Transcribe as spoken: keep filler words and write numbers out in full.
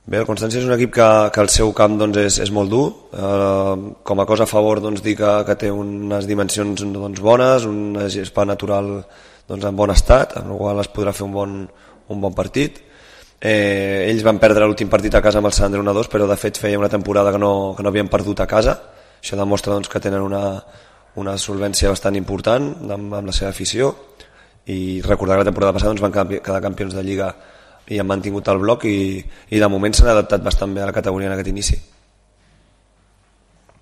Bé, el Constància és un equip que, que el seu camp doncs, és, és molt dur. Eh, com a cosa a favor doncs, dir que, que té unes dimensions doncs, bones, un gespa natural doncs, en bon estat, amb la qual es podrà fer un bon, un bon partit. Eh, ells van perdre l'últim partit a casa amb el Sant Andreu un a dos, però de fet feia una temporada que no, que no havien perdut a casa. Això demostra doncs, que tenen una, una solvència bastant important amb, amb la seva afició, i recordar que la temporada passada doncs, van quedar campions de Lliga i han mantingut el bloc, i, i de moment s'han adaptat bastant bé a la categoria en aquest inici.